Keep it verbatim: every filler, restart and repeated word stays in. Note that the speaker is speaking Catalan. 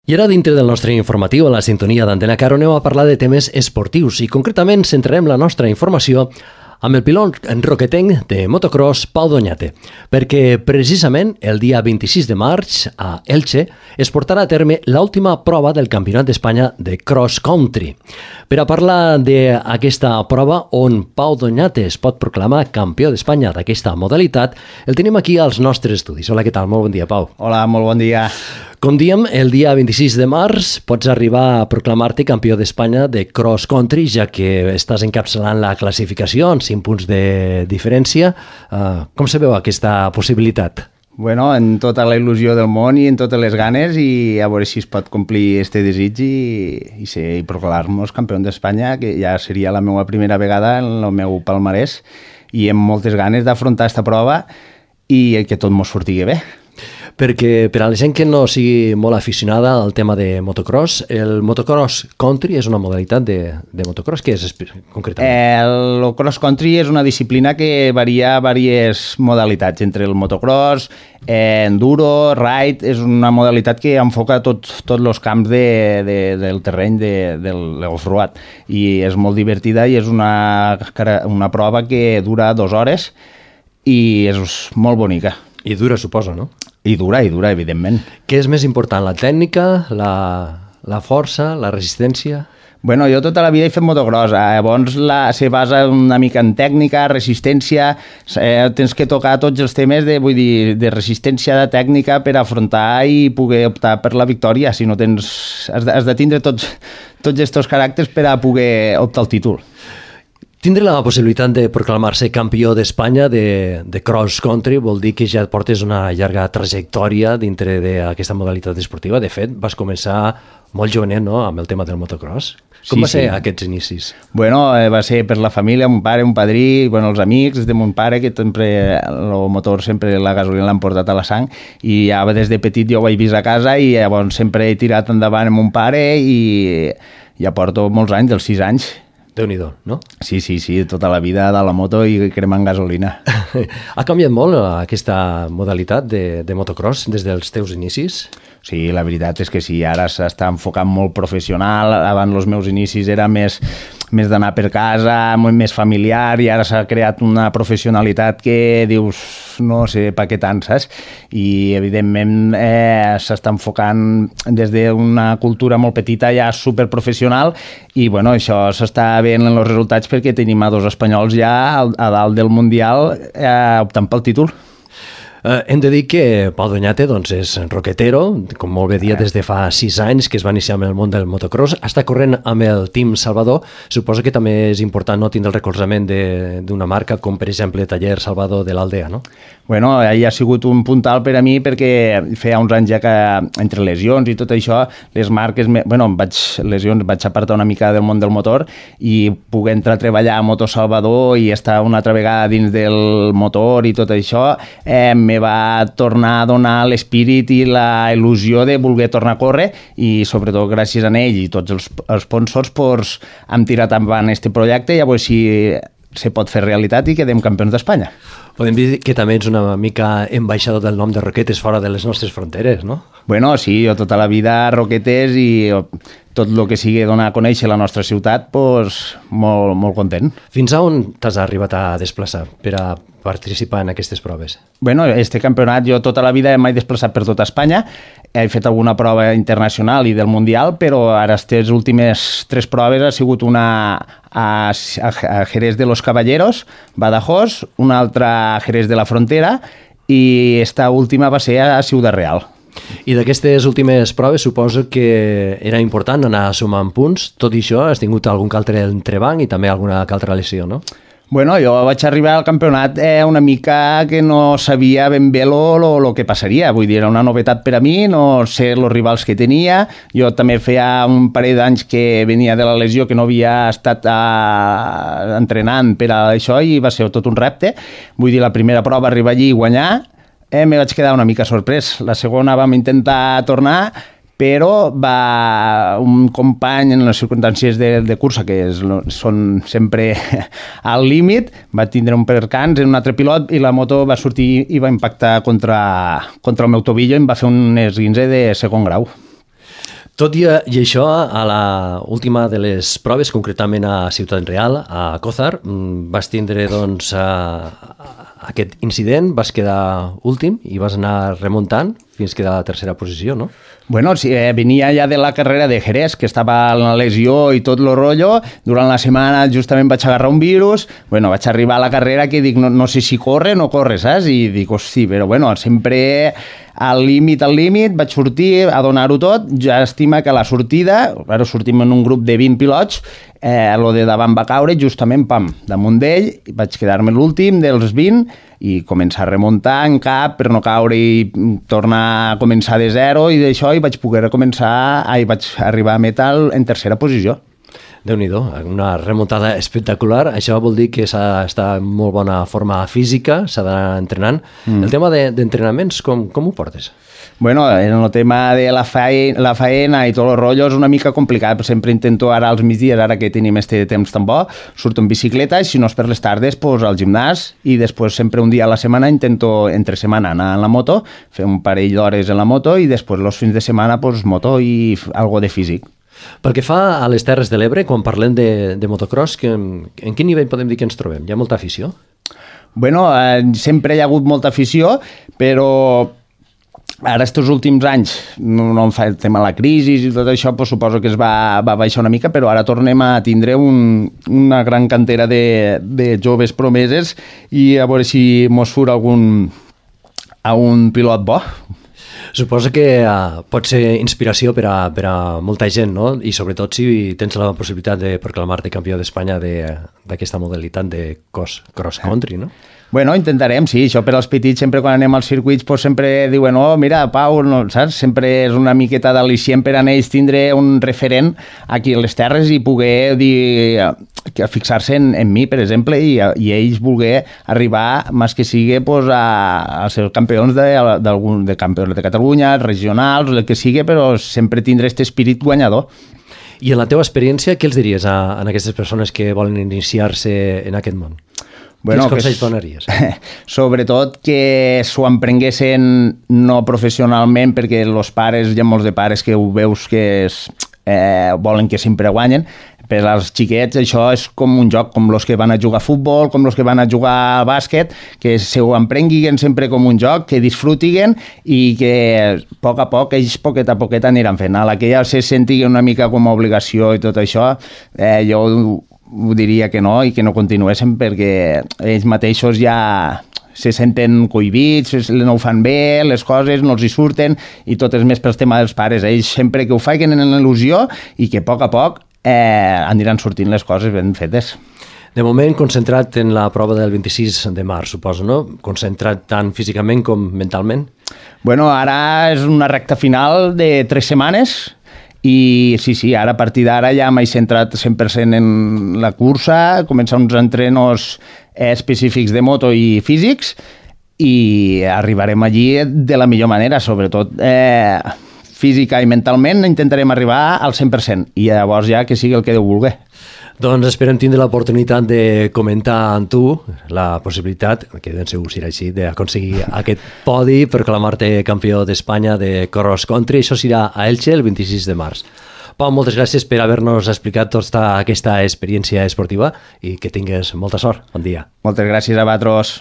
I ara, dintre del nostre informatiu, a la sintonia d'Antena Caro, anem a parlar de temes esportius i, concretament, centrarem la nostra informació amb el pilot roquetenc de motocross Pau Doñate, perquè precisament el dia vint-i-sis de març a Elche es portarà a terme l'última prova del Campionat d'Espanya de Cross Country. Per a parlar d'aquesta prova on Pau Doñate es pot proclamar campió d'Espanya d'aquesta modalitat, el tenim aquí als nostres estudis. Hola, què tal? Molt bon dia, Pau. Hola, molt bon dia. Com diem, el dia vint-i-sis de març pots arribar a proclamar-te campió d'Espanya de Cross Country, ja que estàs encapçalant la classificació en cinc punts de diferència. Uh, com se veu aquesta possibilitat? Bueno, en tota la il·lusió del món i en totes les ganes, i a veure si es pot complir este desig i, i, ser, i proclamar-nos campió d'Espanya, que ja seria la meva primera vegada en el meu palmarès, i amb moltes ganes d'afrontar aquesta prova i que tot mos sortigui bé. Perquè per a la gent que no sigui molt aficionada al tema de motocross, el motocross country és una modalitat de, de motocross. Què és concretament? El, el cross country és una disciplina que varia diverses modalitats, entre el motocross, eh, enduro, ride. És una modalitat que enfoca tots tot els camps de, de, del terreny de, del off-road, i és molt divertida i és una, una prova que dura dues hores i és molt bonica. I dura, suposo, no? I dura, i dura, evidentment. Què és més important, la tècnica, la, la força, la resistència? Bueno, jo tota la vida he fet motocross, llavors la, se basa una mica en tècnica, resistència, eh, tens que tocar tots els temes de, vull dir, de resistència, de tècnica per afrontar i poder optar per la victòria. Si no tens, has de, has de tindre tots, tots aquests caràcters per a poder optar el títol. Tindre la possibilitat de proclamar-se campió d'Espanya de, de cross country vol dir que ja portes una llarga trajectòria dintre d'aquesta modalitat esportiva. De fet, vas començar molt jovenet, no?, amb el tema del motocross. Com sí, va ser sí. aquests inicis? Bueno, eh, va ser per la família, mon pare, un padrí, bueno, els amics de mon pare, que sempre, el motor sempre, la gasolina l'han portat a la sang, i ja des de petit jo ho vaig vist a casa i llavors sempre he tirat endavant amb mon pare i ja porto molts anys, dels sis anys. Déu-n'hi-do, no? Sí, sí, sí, tota la vida de la moto i cremant gasolina. Ha canviat molt aquesta modalitat de, de motocross des dels teus inicis? Sí, la veritat és que sí, ara s'està enfocant molt professional. Abans els meus inicis era més, més d'anar per casa, més familiar, i ara s'ha creat una professionalitat que dius, no sé per què tant, saps? I evidentment eh, s'està enfocant des d'una cultura molt petita ja superprofessional, i bueno, això s'està veient en els resultats perquè tenim a dos espanyols ja a dalt del Mundial eh, optant pel títol. Uh, hem de dir que Pau Doñate doncs, és roquetero, com molt bé dia, des de fa sis anys que es va iniciar amb el món del motocross. Està corrent amb el Team Salvador. Suposo que també és important no tindre el recolzament d'una marca com, per exemple, Taller Salvador de l'Aldea, no? Bueno, ell ha sigut un puntal per a mi perquè feia uns anys ja que entre lesions i tot això, les marques, bueno, vaig, lesions, vaig apartar una mica del món del motor i poder entrar a treballar a Moto Salvador i estar una altra vegada dins del motor i tot això, eh, me va tornar a donar l'espírit i la il·lusió de voler tornar a córrer, i sobretot gràcies a ell i tots els sponsors pues, hem tirat endavant aquest projecte i a veure si se pot fer realitat i quedem campions d'Espanya. Podem dir que també ets una mica ambaixador del nom de Roquetes fora de les nostres fronteres, no? Bueno, sí, jo tota la vida Roquetes i tot el que sigui donar a conèixer la nostra ciutat, pues, molt, molt content. Fins a on t'has arribat a desplaçar per a participar en aquestes proves? Bueno, este campionat jo tota la vida m'he desplaçat per tota Espanya, he fet alguna prova internacional i del Mundial, però ara aquestes últimes tres proves ha sigut una a, a Jerez de los Caballeros, Badajoz, una altra a Jerez de la Frontera, i esta última va ser a Ciudad Real. I d'aquestes últimes proves suposo que era important anar sumant punts. Tot i això, has tingut algun altre entrebanc i també alguna altra lesió, no? Bueno, jo vaig arribar al campionat eh, una mica que no sabia ben bé lo, lo, lo que passaria. Vull dir, era una novetat per a mi, no sé els rivals que tenia. Jo també feia un parell d'anys que venia de la lesió, que no havia estat eh, entrenant per a això, i va ser tot un repte. Vull dir, la primera prova arribar allí i guanyar, eh, me vaig quedar una mica sorprès. La segona vam intentar tornar, però va un company en les circumstàncies de, de cursa, que és, són sempre al límit, va tindre un percans en un altre pilot i la moto va sortir i va impactar contra, contra el meu tobillo i em va fer un esguince de segon grau. Tot i, i això, a la última de les proves, concretament a Ciutat Real, a Cózar, vas tindre doncs, a, aquest incident, vas quedar últim i vas anar remuntant fins que a la tercera posició, no? Bueno, sí, eh, venia ja de la carrera de Jerez, que estava en la lesió i tot el rotllo. Durant la setmana justament vaig agarrar un virus. Bueno, vaig arribar a la carrera que dic, no, no sé si corre o no corre, saps? I dic, hosti, però bueno, sempre al límit, al límit, vaig sortir a donar-ho tot. Ja estima que a la sortida, ara sortim en un grup de vint pilots, eh, lo de davant va caure justament, pam, damunt d'ell, vaig quedar-me l'últim dels vint i començar a remuntar en cap per no caure i tornar a començar de zero i d'això i vaig poder començar, ai, vaig arribar a metal en tercera posició. Déu-n'hi-do, una remuntada espectacular. Això vol dir que s'ha d'estar en molt bona forma física, s'ha d'anar entrenant. Mm. El tema de, d'entrenaments, com, com ho portes? Bueno, en el tema de la faena, la faena i tot el rotllo és una mica complicat. Sempre intento ara als migdies, ara que tenim este temps tan bo, surto en bicicleta i si no és per les tardes, pues, al gimnàs i després sempre un dia a la setmana intento entre setmana anar en la moto, fer un parell d'hores en la moto i després els fins de setmana pues, moto i algo de físic. Pel que fa a les Terres de l'Ebre, quan parlem de, de motocross, que, en quin nivell podem dir que ens trobem? Hi ha molta afició? Bueno, eh, sempre hi ha hagut molta afició, però ara, estos últims anys, no, no em fa el tema de la crisi i tot això, pues, suposo que es va, va baixar una mica, però ara tornem a tindre un, una gran cantera de, de joves promeses i a veure si mos surt algun, algun pilot bo. Suposo que uh, pot ser inspiració per a, per a molta gent, no? I sobretot si tens la possibilitat de proclamar-te campió d'Espanya d'aquesta de, modalitat de cross, cross country, no? Bueno, intentarem, sí, això per als petits, sempre quan anem als circuits, pues, sempre diuen, oh, mira, Pau, no, saps? Sempre és una miqueta d'al·licient per a ells tindre un referent aquí a les terres i poder dir, que fixar-se en, en mi, per exemple, i, i ells voler arribar, més que sigui, pues, a, a ser campions de, d'algun, de campions de Catalunya, regionals, el que sigui, però sempre tindre aquest espírit guanyador. I en la teva experiència, què els diries a, a aquestes persones que volen iniciar-se en aquest món? Bueno, quins consells donaries? Sobretot que s'ho emprenguessin no professionalment, perquè els pares, hi ha molts de pares que ho veus que és, eh, volen que sempre guanyen. Per als xiquets això és com un joc, com els que van a jugar a futbol, com els que van a jugar a bàsquet, que s'ho emprenguin sempre com un joc, que disfrutiguen i que a poc a poc, ells poquet a poquet aniran fent. A la que ja se sentigui una mica com a obligació i tot això, eh, jo ho diria que no i que no continuessin perquè ells mateixos ja se senten cohibits, no ho fan bé, les coses no els hi surten i tot és més pel tema dels pares. Ells sempre que ho facin en il·lusió i que a poc a poc eh, aniran sortint les coses ben fetes. De moment concentrat en la prova del vint-i-sis de març, suposo, no? Concentrat tant físicament com mentalment? Bueno, ara és una recta final de tres setmanes i sí, sí, ara a partir d'ara ja m'he centrat cent per cent en la cursa, començar uns entrenos específics de moto i físics i arribarem allí de la millor manera, sobretot eh, física i mentalment intentarem arribar al cent per cent i llavors ja que sigui el que Déu vulgui. Doncs esperem tindre l'oportunitat de comentar amb tu la possibilitat, que ben segur serà així, d'aconseguir aquest podi per proclamar-te campió d'Espanya de cross country. Això serà a Elche el vint-i-sis de març. Pau, moltes gràcies per haver-nos explicat tota aquesta experiència esportiva i que tingues molta sort. Bon dia. Moltes gràcies a vosaltres.